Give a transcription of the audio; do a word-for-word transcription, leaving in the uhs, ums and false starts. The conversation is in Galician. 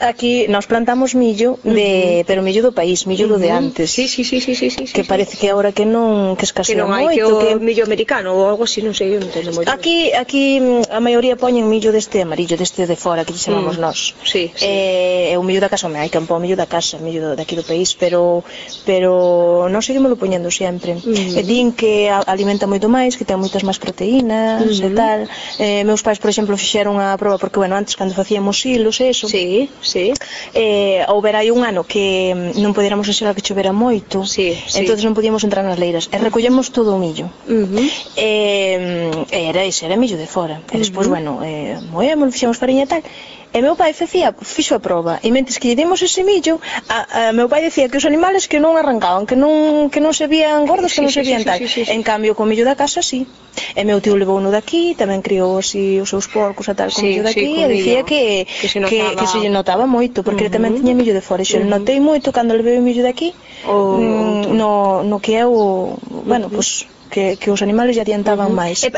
Aquí nos plantamos millo, de, pero millo do país, millo do de antes. Sí, sí, sí, sí, sí, sí, que sí, parece sí. que agora que non, que escasea que non hai, moito, que o que millo americano ou algo así, non sei, eu non entendo moi ben. Aquí, aquí a maioría poñen millo deste amarillo, deste de fora, que lle chamamos Mm. nós. Sí, sí. Eh, é o millo da casa, hai campo o millo da casa, millo daqui do país, pero pero non seguimos poñendo sempre. Mm. E din que alimenta moito máis, que ten moitas máis proteínas Mm. e tal. Eh, meus pais, por exemplo, fixeron a proba porque, bueno, antes cando facíamos hilos e eso, Sí, sí. eh, houbera aí un ano que non podéramos enxerar que chovera moito, Sí, sí. entonces non podíamos entrar nas leiras e recollemos todo o millo. Uh-huh. E, e era ese, era millo de fora. E despois, Uh-huh. bueno, eh, moemos, fixemos fariña e tal. E meu pai facía, fixo a proba, e mentres que lle demos ese millo, a, a meu pai decía que os animales que non arrancaban, que non, que non se vían gordos, que Sí, non se sí, vían sí, tal. sí, sí, sí. En cambio, co millo da casa, sí. E meu tío levou uno daqui, tamén criou así os seus porcos e tal con Sí, millo daqui, sí, con e dicía millo, que, que se que, notaba. que se lle notaba moito, porque Uh-huh. ele tamén tiña millo de fora, e xe Uh-huh. notei moito cando levei o millo daqui, O mm, outro. no, no que é o, bueno, Uh-huh. pues, que, que os animales lle adiantaban Uh-huh. máis.